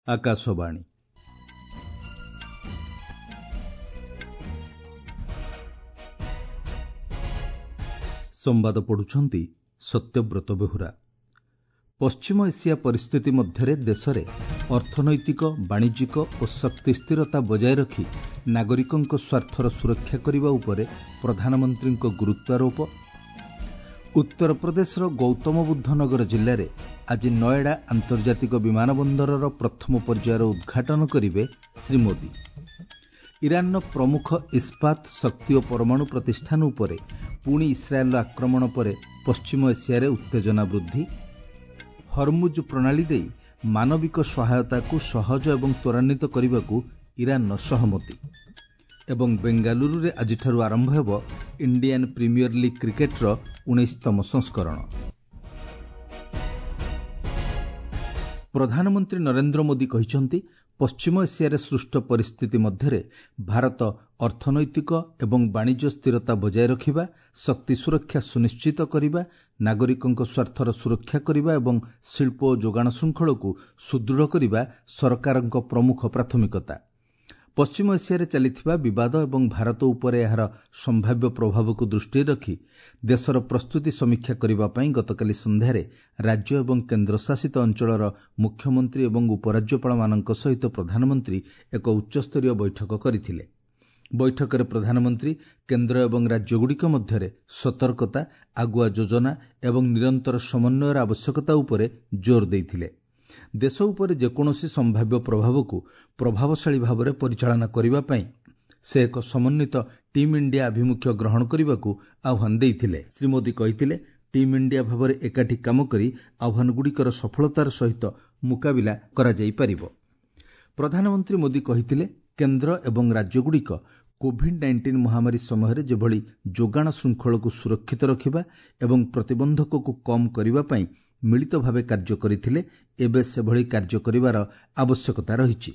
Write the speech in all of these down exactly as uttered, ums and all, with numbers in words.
ଆକାଶବାଣୀ ସମ୍ବାଦ ପଢୁଛନ୍ତି ସତ୍ୟବ୍ରତ ବେହୁରା ପଶ୍ଚିମ ଏସିଆ ପରିସ୍ଥିତି ମଧ୍ୟରେ ଦେଶରେ ଅର୍ଥନୈତିକ ବାଣିଜ୍ୟିକ ଓ ଶକ୍ତି ସ୍ଥିରତା ବଜାୟ ରଖି ନାଗରିକଙ୍କ ସ୍ୱାର୍ଥର ସୁରକ୍ଷା କରିବା ଉପରେ ପ୍ରଧାନମନ୍ତ୍ରୀଙ୍କ ଗୁରୁତ୍ୱାରୋପ ଉତ୍ତରପ୍ରଦେଶର ଗୌତମବୁଦ୍ଧ ନଗର ଜିଲ୍ଲାରେ ଆଜି ନଏଡା ଆନ୍ତର୍ଜାତିକ ବିମାନ ବନ୍ଦରର ପ୍ରଥମ ପର୍ଯ୍ୟାୟର ଉଦ୍ଘାଟନ କରିବେ ଶ୍ରୀ ମୋଦି ଇରାନର ପ୍ରମୁଖ ଇସ୍ପାତ ଶକ୍ତି ଓ ପରମାଣୁ ପ୍ରତିଷ୍ଠାନ ଉପରେ ପୁଣି ଇସ୍ରାଏଲର ଆକ୍ରମଣ ପରେ ପଶ୍ଚିମ ଏସିଆରେ ଉତ୍ତେଜନା ବୃଦ୍ଧି ହରମୁଜ ପ୍ରଣାଳୀ ଦେଇ ମାନବିକ ସହାୟତାକୁ ସହଜ ଏବଂ ତ୍ୱରାନ୍ୱିତ କରିବାକୁ ଇରାନର ସହମତି ଏବଂ ବେଙ୍ଗାଲୁରୁରେ ଆଜିଠାରୁ ଆରମ୍ଭ ହେବ ଇଣ୍ଡିଆନ୍ ପ୍ରିମିୟର ଲିଗ୍ କ୍ରିକେଟର ଉଣେଇଶତମ ସଂସ୍କରଣ ପ୍ରଧାନମନ୍ତ୍ରୀ ନରେନ୍ଦ୍ର ମୋଦି କହିଛନ୍ତି ପଶ୍ଚିମ ଏସିଆରେ ସୃଷ୍ଟ ପରିସ୍ଥିତି ମଧ୍ୟରେ ଭାରତ ଅର୍ଥନୈତିକ ଏବଂ ବାଣିଜ୍ୟ ସ୍ଥିରତା ବଜାୟ ରଖିବା ଶକ୍ତି ସୁରକ୍ଷା ସୁନିଶ୍ଚିତ କରିବା ନାଗରିକଙ୍କ ସ୍ୱାର୍ଥର ସୁରକ୍ଷା କରିବା ଏବଂ ଶିଳ୍ପ ଓ ଯୋଗାଣ ଶୃଙ୍ଖଳକୁ ସୁଦୃଢ଼ କରିବା ସରକାରଙ୍କ ପ୍ରମୁଖ ପ୍ରାଥମିକତା ପଶ୍ଚିମ ଏସିଆରେ ଚାଲିଥିବା ବିବାଦ ଏବଂ ଭାରତ ଉପରେ ଏହାର ସମ୍ଭାବ୍ୟ ପ୍ରଭାବକୁ ଦୃଷ୍ଟିରେ ରଖି ଦେଶର ପ୍ରସ୍ତୁତି ସମୀକ୍ଷା କରିବା ପାଇଁ ଗତକାଲି ସନ୍ଧ୍ୟାରେ ରାଜ୍ୟ ଏବଂ କେନ୍ଦ୍ରଶାସିତ ଅଞ୍ଚଳର ମୁଖ୍ୟମନ୍ତ୍ରୀ ଏବଂ ଉପରାଜ୍ୟପାଳମାନଙ୍କ ସହିତ ପ୍ରଧାନମନ୍ତ୍ରୀ ଏକ ଉଚ୍ଚସ୍ତରୀୟ ବୈଠକ କରିଥିଲେ ବୈଠକରେ ପ୍ରଧାନମନ୍ତ୍ରୀ କେନ୍ଦ୍ର ଏବଂ ରାଜ୍ୟଗୁଡ଼ିକ ମଧ୍ୟରେ ସତର୍କତା ଆଗୁଆ ଯୋଜନା ଏବଂ ନିରନ୍ତର ସମନ୍ୱୟର ଆବଶ୍ୟକତା ଉପରେ ଜୋର ଦେଇଥିଲେ ଦେଶ ଉପରେ ଯେକୌଣସି ସମ୍ଭାବ୍ୟ ପ୍ରଭାବକୁ ପ୍ରଭାବଶାଳୀ ଭାବରେ ପରିଚାଳନା କରିବା ପାଇଁ ସେ ଏକ ସମନ୍ୱିତ ଟିମ୍ ଇଣ୍ଡିଆ ଆଭିମୁଖ୍ୟ ଗ୍ରହଣ କରିବାକୁ ଆହ୍ୱାନ ଦେଇଥିଲେ ଶ୍ରୀ ମୋଦି କହିଥିଲେ ଟିମ୍ ଇଣ୍ଡିଆ ଭାବରେ ଏକାଠି କାମ କରି ଆହ୍ୱାନଗୁଡ଼ିକର ସଫଳତାର ସହିତ ମୁକାବିଲା କରାଯାଇପାରିବ ପ୍ରଧାନମନ୍ତ୍ରୀ ମୋଦି କହିଥିଲେ କେନ୍ଦ୍ର ଏବଂ ରାଜ୍ୟଗୁଡ଼ିକ କୋଭିଡ୍ ନାଇଣ୍ଟିନ୍ ମହାମାରୀ ସମୟରେ ଯେଭଳି ଯୋଗାଣ ଶୃଙ୍ଖଳକୁ ସୁରକ୍ଷିତ ରଖିବା ଏବଂ ପ୍ରତିବନ୍ଧକକୁ କମ୍ କରିବା ପାଇଁ ମିଳିତ ଭାବେ କାର୍ଯ୍ୟ କରିଥିଲେ ଏବେ ସେଭଳି କାର୍ଯ୍ୟ କରିବାର ଆବଶ୍ୟକତା ରହିଛି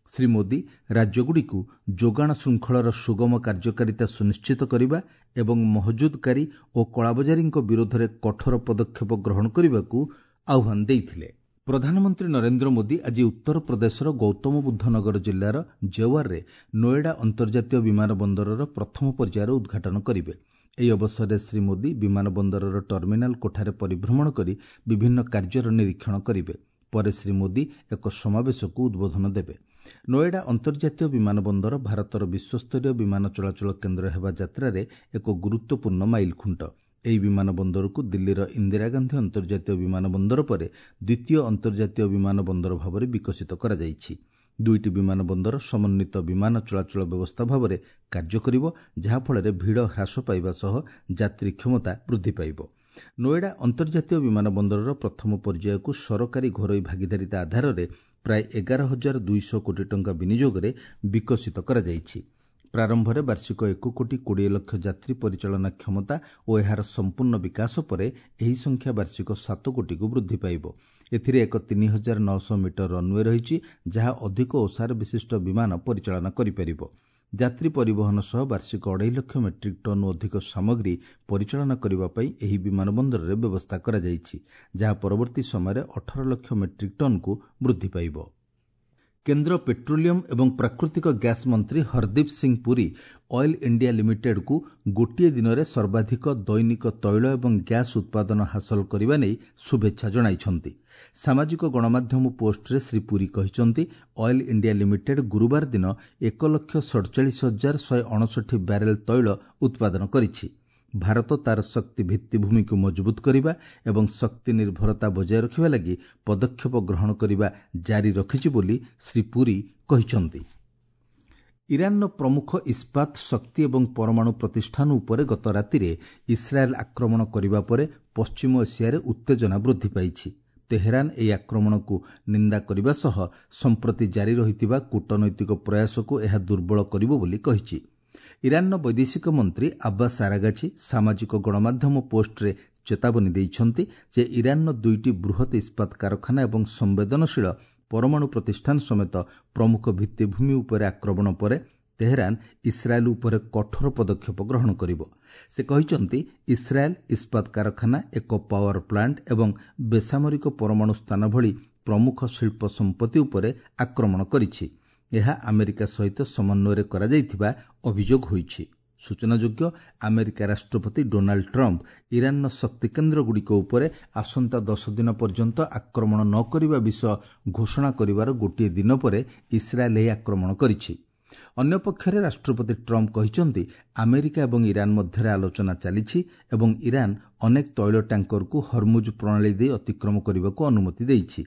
ଶ୍ରୀ ମୋଦି ରାଜ୍ୟଗୁଡ଼ିକୁ ଯୋଗାଣ ଶୃଙ୍ଖଳର ସୁଗମ କାର୍ଯ୍ୟକାରିତା ସୁନିଶ୍ଚିତ କରିବା ଏବଂ ମହଜୁଦକାରୀ ଓ କଳାବଜାରୀଙ୍କ ବିରୋଧରେ କଠୋର ପଦକ୍ଷେପ ଗ୍ରହଣ କରିବାକୁ ଆହ୍ୱାନ ଦେଇଥିଲେ ପ୍ରଧାନମନ୍ତ୍ରୀ ନରେନ୍ଦ୍ର ମୋଦି ଆଜି ଉତ୍ତରପ୍ରଦେଶର ଗୌତମବୁଦ୍ଧ ନଗର ଜିଲ୍ଲାର ଜେୱାରରେ ନୋଏଡା ଅନ୍ତର୍ଜାତୀୟ ବିମାନ ବନ୍ଦରର ପ୍ରଥମ ପର୍ଯ୍ୟାୟର ଉଦ୍ଘାଟନ କରିବେ ଏହି ଅବସରରେ ଶ୍ରୀ ମୋଦି ବିମାନ ବନ୍ଦରର ଟର୍ମିନାଲ କୋଠାରେ ପରିଭ୍ରମଣ କରି ବିଭିନ୍ନ କାର୍ଯ୍ୟର ନିରୀକ୍ଷଣ କରିବେ ପରେ ଶ୍ରୀ ମୋଦି ଏକ ସମାବେଶକୁ ଉଦ୍ବୋଧନ ଦେବେ ନୋଏଡା ଅନ୍ତର୍ଜାତୀୟ ବିମାନ ବନ୍ଦର ଭାରତର ବିଶ୍ୱସ୍ତରୀୟ ବିମାନ ଚଳାଚଳ କେନ୍ଦ୍ର ହେବା ଯାତ୍ରାରେ ଏକ ଗୁରୁତ୍ୱପୂର୍ଣ୍ଣ ମାଇଲଖୁଣ୍ଟ ଏହି ବିମାନ ବନ୍ଦରକୁ ଦିଲ୍ଲୀର ଇନ୍ଦିରା ଗାନ୍ଧୀ ଅନ୍ତର୍ଜାତୀୟ ବିମାନ ବନ୍ଦର ପରେ ଦ୍ୱିତୀୟ ଅନ୍ତର୍ଜାତୀୟ ବିମାନ ବନ୍ଦର ଭାବରେ ବିକଶିତ କରାଯାଇଛି ଦୁଇଟି ବିମାନ ବନ୍ଦର ସମନ୍ୱିତ ବିମାନ ଚଳାଚଳ ବ୍ୟବସ୍ଥା ଭାବରେ କାର୍ଯ୍ୟ କରିବ ଯାହାଫଳରେ ଭିଡ଼ ହ୍ରାସ ପାଇବା ସହ ଯାତ୍ରୀ କ୍ଷମତା ବୃଦ୍ଧି ପାଇବ ନୋଏଡା ଅନ୍ତର୍ଜାତୀୟ ବିମାନ ବନ୍ଦରର ପ୍ରଥମ ପର୍ଯ୍ୟାୟକୁ ସରକାରୀ ଘରୋଇ ଭାଗିଦାରିତା ଆଧାରରେ ପ୍ରାୟ ଏଗାର ହଜାର ଦୁଇଶହ କୋଟି ଟଙ୍କା ବିନିଯୋଗରେ ବିକଶିତ କରାଯାଇଛି ପ୍ରାରମ୍ଭରେ ବାର୍ଷିକ ଏକ କୋଟି କୋଡ଼ିଏ ଲକ୍ଷ ଯାତ୍ରୀ ପରିଚାଳନା କ୍ଷମତା ଓ ଏହାର ସମ୍ପୂର୍ଣ୍ଣ ବିକାଶ ପରେ ଏହି ସଂଖ୍ୟା ବାର୍ଷିକ ସାତ କୋଟିକୁ ବୃଦ୍ଧି ପାଇବ ଏଥିରେ ଏକ ତିନି ହଜାର ନଅଶହ ମିଟର ରନ୍ୱେ ରହିଛି ଯାହା ଅଧିକ ଓସାର ବିଶିଷ୍ଟ ବିମାନ ପରିଚାଳନା କରିପାରିବ ଯାତ୍ରୀ ପରିବହନ ସହ ବାର୍ଷିକ ଅଢ଼େଇ ଲକ୍ଷ ମେଟ୍ରିକ୍ ଟନ୍ରୁ ଅଧିକ ସାମଗ୍ରୀ ପରିଚାଳନା କରିବା ପାଇଁ ଏହି ବିମାନ ବନ୍ଦରରେ ବ୍ୟବସ୍ଥା କରାଯାଇଛି ଯାହା ପରବର୍ତ୍ତୀ ସମୟରେ ଅଠର ଲକ୍ଷ ମେଟ୍ରିକ୍ ଟନ୍କୁ ବୃଦ୍ଧି ପାଇବ କେନ୍ଦ୍ର ପେଟ୍ରୋଲିୟମ ଏବଂ ପ୍ରାକୃତିକ ଗ୍ୟାସ୍ ମନ୍ତ୍ରୀ ହରଦୀପ ସିଂ ପୁରୀ ଅଏଲ୍ ଇଣ୍ଡିଆ ଲିମିଟେଡ୍କୁ ଗୋଟିଏ ଦିନରେ ସର୍ବାଧିକ ଦୈନିକ ତୈଳ ଏବଂ ଗ୍ୟାସ୍ ଉତ୍ପାଦନ ହାସଲ କରିବା ନେଇ ଶୁଭେଚ୍ଛା ଜଣାଇଛନ୍ତି ସାମାଜିକ ଗଣମାଧ୍ୟମ ପୋଷ୍ଟରେ ଶ୍ରୀ ପୁରୀ କହିଛନ୍ତି ଅଏଲ୍ ଇଣ୍ଡିଆ ଲିମିଟେଡ୍ ଗୁରୁବାର ଦିନ ଏକ ଲକ୍ଷ ସଡ଼ଚାଳିଶ ହଜାର ଶହେ ଅଣଷଠି ବ୍ୟାରେଲ୍ ତୈଳ ଉତ୍ପାଦନ କରିଛି ଭାରତ ତାର ଶକ୍ତି ଭିତ୍ତିଭୂମିକୁ ମଜବୁତ କରିବା ଏବଂ ଶକ୍ତି ନିର୍ଭରତା ବଜାୟ ରଖିବା ଲାଗି ପଦକ୍ଷେପ ଗ୍ରହଣ କରିବା ଜାରି ରଖିଛି ବୋଲି ଶ୍ରୀ ପୁରୀ କହିଛନ୍ତି ଇରାନର ପ୍ରମୁଖ ଇସ୍ପାତ ଶକ୍ତି ଏବଂ ପରମାଣୁ ପ୍ରତିଷ୍ଠାନ ଉପରେ ଗତ ରାତିରେ ଇସ୍ରାଏଲ୍ ଆକ୍ରମଣ କରିବା ପରେ ପଶ୍ଚିମ ଏସିଆରେ ଉତ୍ତେଜନା ବୃଦ୍ଧି ପାଇଛି ତେହେରାନ ଏହି ଆକ୍ରମଣକୁ ନିନ୍ଦା କରିବା ସହ ସମ୍ପ୍ରତି ଜାରି ରହିଥିବା କୂଟନୈତିକ ପ୍ରୟାସକୁ ଏହା ଦୁର୍ବଳ କରିବ ବୋଲି କହିଛି ଇରାନର ବୈଦେଶିକ ମନ୍ତ୍ରୀ ଆବ୍ବାସ ଆରାଗାଚି ସାମାଜିକ ଗଣମାଧ୍ୟମ ପୋଷ୍ଟରେ ଚେତାବନୀ ଦେଇଛନ୍ତି ଯେ ଇରାନର ଦୁଇଟି ବୃହତ୍ ଇସ୍ପାତ କାରଖାନା ଏବଂ ସମ୍ବେଦନଶୀଳ ପରମାଣୁ ପ୍ରତିଷ୍ଠାନ ସମେତ ପ୍ରମୁଖ ଭିତ୍ତିଭୂମି ଉପରେ ଆକ୍ରମଣ ପରେ ତେହେରାନ ଇସ୍ରାଏଲ୍ ଉପରେ କଠୋର ପଦକ୍ଷେପ ଗ୍ରହଣ କରିବ ସେ କହିଛନ୍ତି ଇସ୍ରାଏଲ୍ ଇସ୍ପାତ କାରଖାନା ଏକ ପାୱାର ପ୍ଲାଣ୍ଟ ଏବଂ ବେସାମରିକ ପରମାଣୁ ସ୍ଥାନ ଭଳି ପ୍ରମୁଖ ଶିଳ୍ପ ସମ୍ପତ୍ତି ଉପରେ ଆକ୍ରମଣ କରିଛି। ଏହା ଆମେରିକା ସହିତ ସମନ୍ୱୟରେ କରାଯାଇଥିବା ଅଭିଯୋଗ ହୋଇଛି। ସୂଚନାଯୋଗ୍ୟ, ଆମେରିକା ରାଷ୍ଟ୍ରପତି ଡୋନାଲ୍ଡ ଟ୍ରମ୍ପ ଇରାନର ଶକ୍ତିକେନ୍ଦ୍ରଗୁଡ଼ିକ ଉପରେ ଆସନ୍ତା ଦଶ ଦିନ ପର୍ଯ୍ୟନ୍ତ ଆକ୍ରମଣ ନ କରିବା ବିଷୟ ଘୋଷଣା କରିବାର ଗୋଟିଏ ଦିନ ପରେ ଇସ୍ରାଏଲ୍ ଏହି ଆକ୍ରମଣ କରିଛି। ଅନ୍ୟପକ୍ଷରେ ରାଷ୍ଟ୍ରପତି ଟ୍ରମ୍ପ କହିଛନ୍ତି, ଆମେରିକା ଏବଂ ଇରାନ ମଧ୍ୟରେ ଆଲୋଚନା ଚାଲିଛି ଏବଂ ଇରାନ ଅନେକ ତୈଳ ଟ୍ୟାଙ୍କରକୁ ହରମୁଜ ପ୍ରଣାଳୀ ଦେଇ ଅତିକ୍ରମ କରିବାକୁ ଅନୁମତି ଦେଇଛି।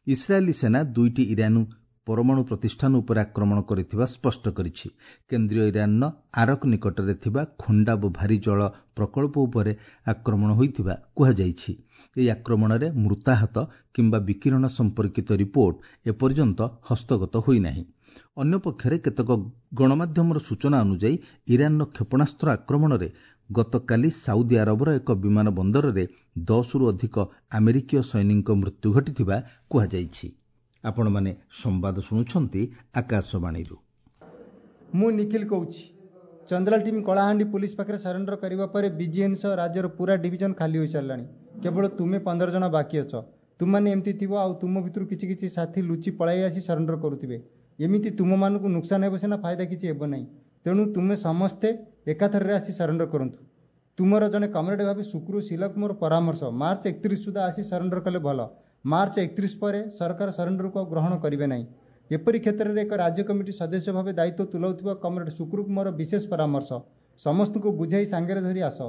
ଇସ୍ରାଏଲୀ ସେନା ଦୁଇଟି ଇରାନୀ ପରମାଣୁ ପ୍ରତିଷ୍ଠାନ ଉପରେ ଆକ୍ରମଣ କରିଥିବା ସ୍ପଷ୍ଟ କରିଛି। କେନ୍ଦ୍ରୀୟ ଇରାନର ଆରକ ନିକଟରେ ଥିବା ଖୋଣ୍ଡାବ ଭାରୀ ଜଳ ପ୍ରକଳ୍ପ ଉପରେ ଆକ୍ରମଣ ହୋଇଥିବା କୁହାଯାଇଛି। ଏହି ଆକ୍ରମଣରେ ମୃତାହତ କିମ୍ବା ବିକିରଣ ସମ୍ପର୍କିତ ରିପୋର୍ଟ ଏପର୍ଯ୍ୟନ୍ତ ହସ୍ତଗତ ହୋଇନାହିଁ। ଅନ୍ୟପକ୍ଷରେ କେତେକ ଗଣମାଧ୍ୟମର ସୂଚନା ଅନୁଯାୟୀ ଇରାନର କ୍ଷେପଣାସ୍ତ୍ର ଆକ୍ରମଣରେ ଗତକାଲି ସାଉଦି ଆରବର ଏକ ବିମାନ ବନ୍ଦରରେ ଦଶରୁ ଅଧିକ ଆମେରିକୀୟ ସୈନିକଙ୍କ ମୃତ୍ୟୁ ଘଟିଥିବା କୁହାଯାଇଛି। ଆପଣମାନେ ସମ୍ବାଦ ଶୁଣୁଛନ୍ତି ଆକାଶବାଣୀରୁ। ମୁଁ ନିଖିଲ କହୁଛି। ଚନ୍ଦ୍ରାଲ ଟିମ୍ କଳାହାଣ୍ଡି ପୋଲିସ ପାଖରେ ସରେଣ୍ଡର କରିବା ପରେ ବିଜିଏନ୍ ସହ ରାଜ୍ୟର ପୁରା ଡିଭିଜନ ଖାଲି ହୋଇସାରିଲାଣି। କେବଳ ତୁମେ ପନ୍ଦର ଜଣ ବାକି ଅଛ। ତୁମମାନେ ଏମିତି ଥିବ ଆଉ ତୁମ ଭିତରୁ କିଛି କିଛି ସାଥୀ ଲୁଚି ପଳାଇ ଆସି ସରେଣ୍ଡର କରୁଥିବେ। ଏମିତି ତୁମମାନଙ୍କୁ ନୁକସାନ ହେବ ସିନା, ଫାଇଦା କିଛି ହେବ ନାହିଁ। ତେଣୁ ତୁମେ ସମସ୍ତେ ଏକାଥରରେ ଆସି ସରେଣ୍ଡର କରନ୍ତୁ। ତୁମର ଜଣେ କମ୍ରେଡ୍ ଭାବେ ଶୁକ୍ରୁ ଶିଲାକୁ ମୋର ପରାମର୍ଶ, ମାର୍ଚ୍ଚ ଏକତିରିଶ ସୁଦ୍ଧା ଆସି ସରେଣ୍ଡର କଲେ ଭଲ। ମାର୍ଚ୍ଚ ଏକତିରିଶ ପରେ ସରକାର ସରେଣ୍ଡରକୁ ଆଉ ଗ୍ରହଣ କରିବେ ନାହିଁ। ଏପରି କ୍ଷେତ୍ରରେ ଏକ ରାଜ୍ୟ କମିଟି ସଦସ୍ୟ ଭାବେ ଦାୟିତ୍ୱ ତୁଲାଉଥିବା କମ୍ରେଡ୍ ଶୁକ୍ରୁକୁ ମୋର ବିଶେଷ ପରାମର୍ଶ, ସମସ୍ତଙ୍କୁ ବୁଝାଇ ସାଙ୍ଗରେ ଧରି ଆସ।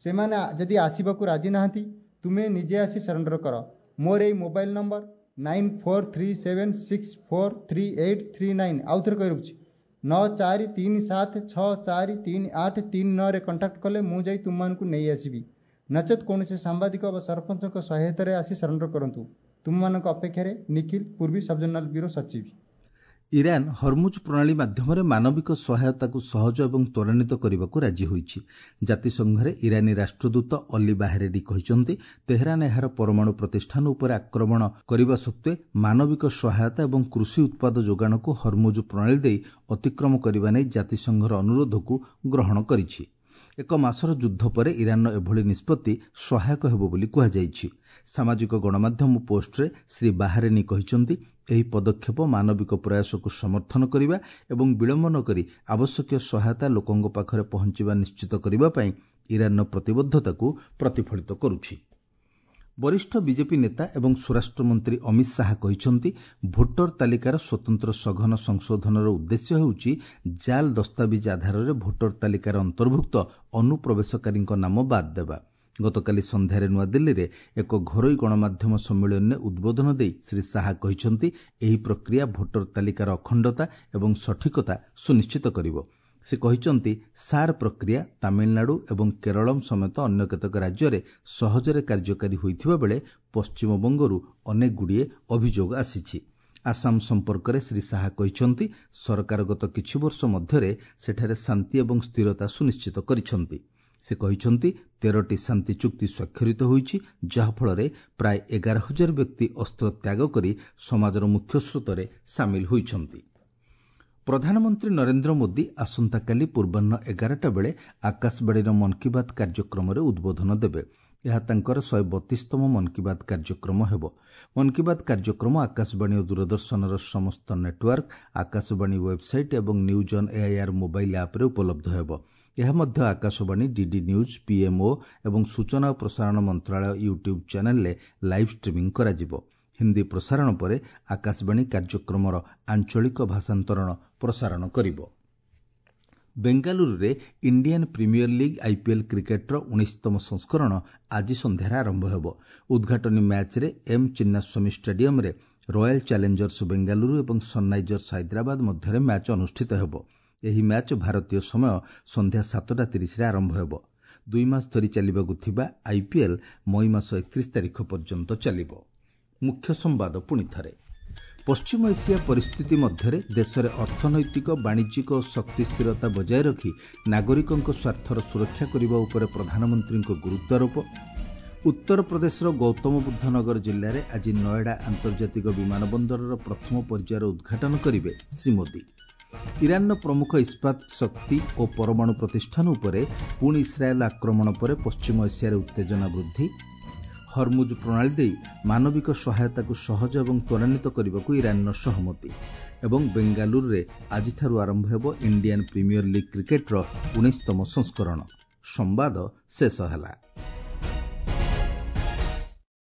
ସେମାନେ ଯଦି ଆସିବାକୁ ରାଜି ନାହାନ୍ତି, ତୁମେ ନିଜେ ଆସି ସରେଣ୍ଡର କର। ମୋର ଏଇ mobile number nine four three seven six four three eight three nine, ଆଉ ଥରେ କହି ରଖୁଛି, ନଅ ଚାରି ତିନି ସାତ ଛଅ ଚାରି ତିନି ଆଠ ତିନି ନଅରେ କଣ୍ଟାକ୍ଟ କଲେ ମୁଁ ଯାଇ ତୁମମାନଙ୍କୁ ନେଇ ଆସିବି। ନଚେତ୍ କୌଣସି ସାମ୍ବାଦିକ ବା ସରପଞ୍ଚଙ୍କ ସହାୟତାରେ ଆସି ସରେଣ୍ଡର କରନ୍ତୁ। ତୁମମାନଙ୍କ ଅପେକ୍ଷାରେ ନିଖିଲ, ପୂର୍ବୀ ସବଜୋନାଲ ବ୍ୟୁରୋ ସଚିବ। ଇରାନ ହରମୁଜ ପ୍ରଣାଳୀ ମାଧ୍ୟମରେ ମାନବିକ ସହାୟତାକୁ ସହଜ ଏବଂ ତ୍ୱରାନ୍ୱିତ କରିବାକୁ ରାଜି ହୋଇଛି। ଜାତିସଂଘରେ ଇରାନୀ ରାଷ୍ଟ୍ରଦୂତ ଅଲି ବାହେରେଡି କହିଛନ୍ତି, ତେହେରାନ ଏହାର ପରମାଣୁ ପ୍ରତିଷ୍ଠାନ ଉପରେ ଆକ୍ରମଣ କରିବା ସତ୍ତ୍ୱେ ମାନବିକ ସହାୟତା ଏବଂ କୃଷି ଉତ୍ପାଦ ଯୋଗାଣକୁ ହରମୁଜ ପ୍ରଣାଳୀ ଦେଇ ଅତିକ୍ରମ କରିବା ନେଇ ଜାତିସଂଘର ଅନୁରୋଧକୁ ଗ୍ରହଣ କରିଛି। ଏକ ମାସର ଯୁଦ୍ଧ ପରେ ଇରାନର ଏଭଳି ନିଷ୍ପତ୍ତି ସହାୟକ ହେବ ବୋଲି କୁହାଯାଇଛି। ସାମାଜିକ ଗଣମାଧ୍ୟମ ପୋଷ୍ଟରେ ଶ୍ରୀ ବାହାରେନି କହିଛନ୍ତି, ଏହି ପଦକ୍ଷେପ ମାନବିକ ପ୍ରୟାସକୁ ସମର୍ଥନ କରିବା ଏବଂ ବିଳମ୍ବ ନ କରି ଆବଶ୍ୟକୀୟ ସହାୟତା ଲୋକଙ୍କ ପାଖରେ ପହଞ୍ଚିବା ନିଶ୍ଚିତ କରିବା ପାଇଁ ଇରାନର ପ୍ରତିବଦ୍ଧତାକୁ ପ୍ରତିଫଳିତ କରୁଛି। ବରିଷ୍ଠ ବିଜେପି ନେତା ଏବଂ ସ୍ୱରାଷ୍ଟ୍ରମନ୍ତ୍ରୀ ଅମିତ ଶାହା କହିଛନ୍ତି, ଭୋଟର ତାଲିକାର ସ୍ୱତନ୍ତ୍ର ସଘନ ସଂଶୋଧନର ଉଦ୍ଦେଶ୍ୟ ହେଉଛି ଜାଲ୍ ଦସ୍ତାବିଜ ଆଧାରରେ ଭୋଟର ତାଲିକାରେ ଅନ୍ତର୍ଭୁକ୍ତ ଅନୁପ୍ରବେଶକାରୀଙ୍କ ନାମ ବାଦ୍ ଦେବା। ଗତକାଲି ସନ୍ଧ୍ୟାରେ ନୂଆଦିଲ୍ଲୀରେ ଏକ ଘରୋଇ ଗଣମାଧ୍ୟମ ସମ୍ମିଳନୀରେ ଉଦ୍ବୋଧନ ଦେଇ ଶ୍ରୀ ଶାହା କହିଛନ୍ତି, ଏହି ପ୍ରକ୍ରିୟା ଭୋଟର ତାଲିକାର ଅଖଣ୍ଡତା ଏବଂ ସଠିକତା ସୁନିଶ୍ଚିତ କରିବ। ସେ କହିଛନ୍ତି, ସାର୍ ପ୍ରକ୍ରିୟା ତାମିଲନାଡୁ ଏବଂ କେରଳମ୍ ସମେତ ଅନ୍ୟ କେତେକ ରାଜ୍ୟରେ ସହଜରେ କାର୍ଯ୍ୟକାରୀ ହୋଇଥିବା ବେଳେ ପଶ୍ଚିମବଙ୍ଗରୁ ଅନେକଗୁଡ଼ିଏ ଅଭିଯୋଗ ଆସିଛି। ଆସାମ ସମ୍ପର୍କରେ ଶ୍ରୀ ଶାହା କହିଛନ୍ତି, ସରକାର ଗତ କିଛି ବର୍ଷ ମଧ୍ୟରେ ସେଠାରେ ଶାନ୍ତି ଏବଂ ସ୍ଥିରତା ସୁନିଶ୍ଚିତ କରିଛନ୍ତି। ସେ କହିଛନ୍ତି, ତେରଟି ଶାନ୍ତି ଚୁକ୍ତି ସ୍ୱାକ୍ଷରିତ ହୋଇଛି, ଯାହାଫଳରେ ପ୍ରାୟ ଏଗାର ହଜାର ବ୍ୟକ୍ତି ଅସ୍ତ୍ର ତ୍ୟାଗ କରି ସମାଜର ମୁଖ୍ୟସ୍ରୋତରେ ସାମିଲ ହୋଇଛନ୍ତି। ପ୍ରଧାନମନ୍ତ୍ରୀ ନରେନ୍ଦ୍ର ମୋଦି ଆସନ୍ତାକାଲି ପୂର୍ବାହ୍ନ ଏଗାରଟା ବେଳେ ଆକାଶବାଣୀର ମନ୍ କି ବାତ୍ କାର୍ଯ୍ୟକ୍ରମରେ ଉଦ୍ବୋଧନ ଦେବେ। ଏହା ତାଙ୍କର ଶହେ ବତିଶତମ ମନ୍ କି ବାତ୍ କାର୍ଯ୍ୟକ୍ରମ ହେବ। ମନ୍ କି ବାତ୍ କାର୍ଯ୍ୟକ୍ରମ ଆକାଶବାଣୀ ଓ ଦୂରଦର୍ଶନର ସମସ୍ତ ନେଟୱାର୍କ, ଆକାଶବାଣୀ ୱେବ୍ସାଇଟ୍ ଏବଂ ନ୍ୟୁଜ୍ ଅନ୍ ଏଆଇଆର୍ ମୋବାଇଲ୍ ଆପ୍ରେ ଉପଲବ୍ଧ ହେବ। ଏହା ମଧ୍ୟ ଆକାଶବାଣୀ, ଡିଡି ନ୍ୟୁଜ୍, ପିଏମ୍ଓ ଏବଂ ସୂଚନା ଓ ପ୍ରସାରଣ ମନ୍ତ୍ରଣାଳୟ ୟୁଟ୍ୟୁବ୍ ଚ୍ୟାନେଲ୍ରେ ଲାଇଭ୍ ଷ୍ଟ୍ରିମିଂ କରାଯିବ। ହିନ୍ଦୀ ପ୍ରସାରଣ ପରେ ଆକାଶବାଣୀ କାର୍ଯ୍ୟକ୍ରମର ଆଞ୍ଚଳିକ ଭାଷାନ୍ତରଣ ପ୍ରସାରଣ କରିବ। ବେଙ୍ଗାଲୁରୁରେ ଇଣ୍ଡିଆନ୍ ପ୍ରିମିୟର ଲିଗ୍ ଆଇପିଏଲ୍ କ୍ରିକେଟ୍ର ଉଣେଇଶତମ ସଂସ୍କରଣ ଆଜି ସନ୍ଧ୍ୟାରେ ଆରମ୍ଭ ହେବ। ଉଦ୍ଘାଟନୀ ମ୍ୟାଚ୍ରେ ଏମ୍ ଚିନ୍ନାସ୍ୱାମୀ ଷ୍ଟାଡିୟମ୍ରେ ରୟାଲ ଚ୍ୟାଲେଞ୍ଜର୍ସ ବେଙ୍ଗାଲୁରୁ ଏବଂ ସନ୍ରାଇଜର୍ସ ହାଇଦ୍ରାବାଦ ମଧ୍ୟରେ ମ୍ୟାଚ୍ ଅନୁଷ୍ଠିତ ହେବ। ଏହି ମ୍ୟାଚ୍ ଭାରତୀୟ ସମୟ ସନ୍ଧ୍ୟା ସାତଟା ତିରିଶରେ ଆରମ୍ଭ ହେବ। ଦୁଇ ମାସ ଧରି ଚାଲିବାକୁ ଥିବା ଆଇପିଏଲ୍ ମଇ ମାସ ଏକତିରିଶ ତାରିଖ ପର୍ଯ୍ୟନ୍ତ ଚାଲିବ। ମୁଖ୍ୟ ସମ୍ବାଦ ପୁଣି ଥରେ। ପଶ୍ଚିମ ଏସିଆ ପରିସ୍ଥିତି ମଧ୍ୟରେ ଦେଶରେ ଅର୍ଥନୈତିକ, ବାଣିଜ୍ୟିକ ଓ ଶକ୍ତି ସ୍ଥିରତା ବଜାୟ ରଖି ନାଗରିକଙ୍କ ସ୍ୱାର୍ଥର ସୁରକ୍ଷା କରିବା ଉପରେ ପ୍ରଧାନମନ୍ତ୍ରୀଙ୍କ ଗୁରୁତ୍ୱାରୋପ। ଉତ୍ତରପ୍ରଦେଶର ଗୌତମ ବୁଦ୍ଧ ନଗର ଜିଲ୍ଲାରେ ଆଜି ନଏଡା ଆନ୍ତର୍ଜାତିକ ବିମାନ ବନ୍ଦରର ପ୍ରଥମ ପର୍ଯ୍ୟାୟର ଉଦ୍ଘାଟନ କରିବେ ଶ୍ରୀ ମୋଦି। ଇରାନର ପ୍ରମୁଖ ଇସ୍ପାତ, ଶକ୍ତି ଓ ପରମାଣୁ ପ୍ରତିଷ୍ଠାନ ଉପରେ ପୁଣି ଇସ୍ରାଏଲ୍ ଆକ୍ରମଣ ପରେ ପଶ୍ଚିମ ଏସିଆରେ ଉତ୍ତେଜନା ବୃଦ୍ଧି। ହରମୁଜ ପ୍ରଣାଳୀ ଦେଇ ମାନବିକ ସହାୟତାକୁ ସହଜ ଏବଂ ତ୍ୱରାନ୍ୱିତ କରିବାକୁ ଇରାନର ସହମତି। ଏବଂ ବେଙ୍ଗାଲୁରୁରେ ଆଜିଠାରୁ ଆରମ୍ଭ ହେବ ଇଣ୍ଡିଆନ୍ ପ୍ରିମିୟର ଲିଗ୍ କ୍ରିକେଟ୍ର ଉଣେଇଶତମ ସଂସ୍କରଣ। ସମ୍ବାଦ ଶେଷ ହେଲା।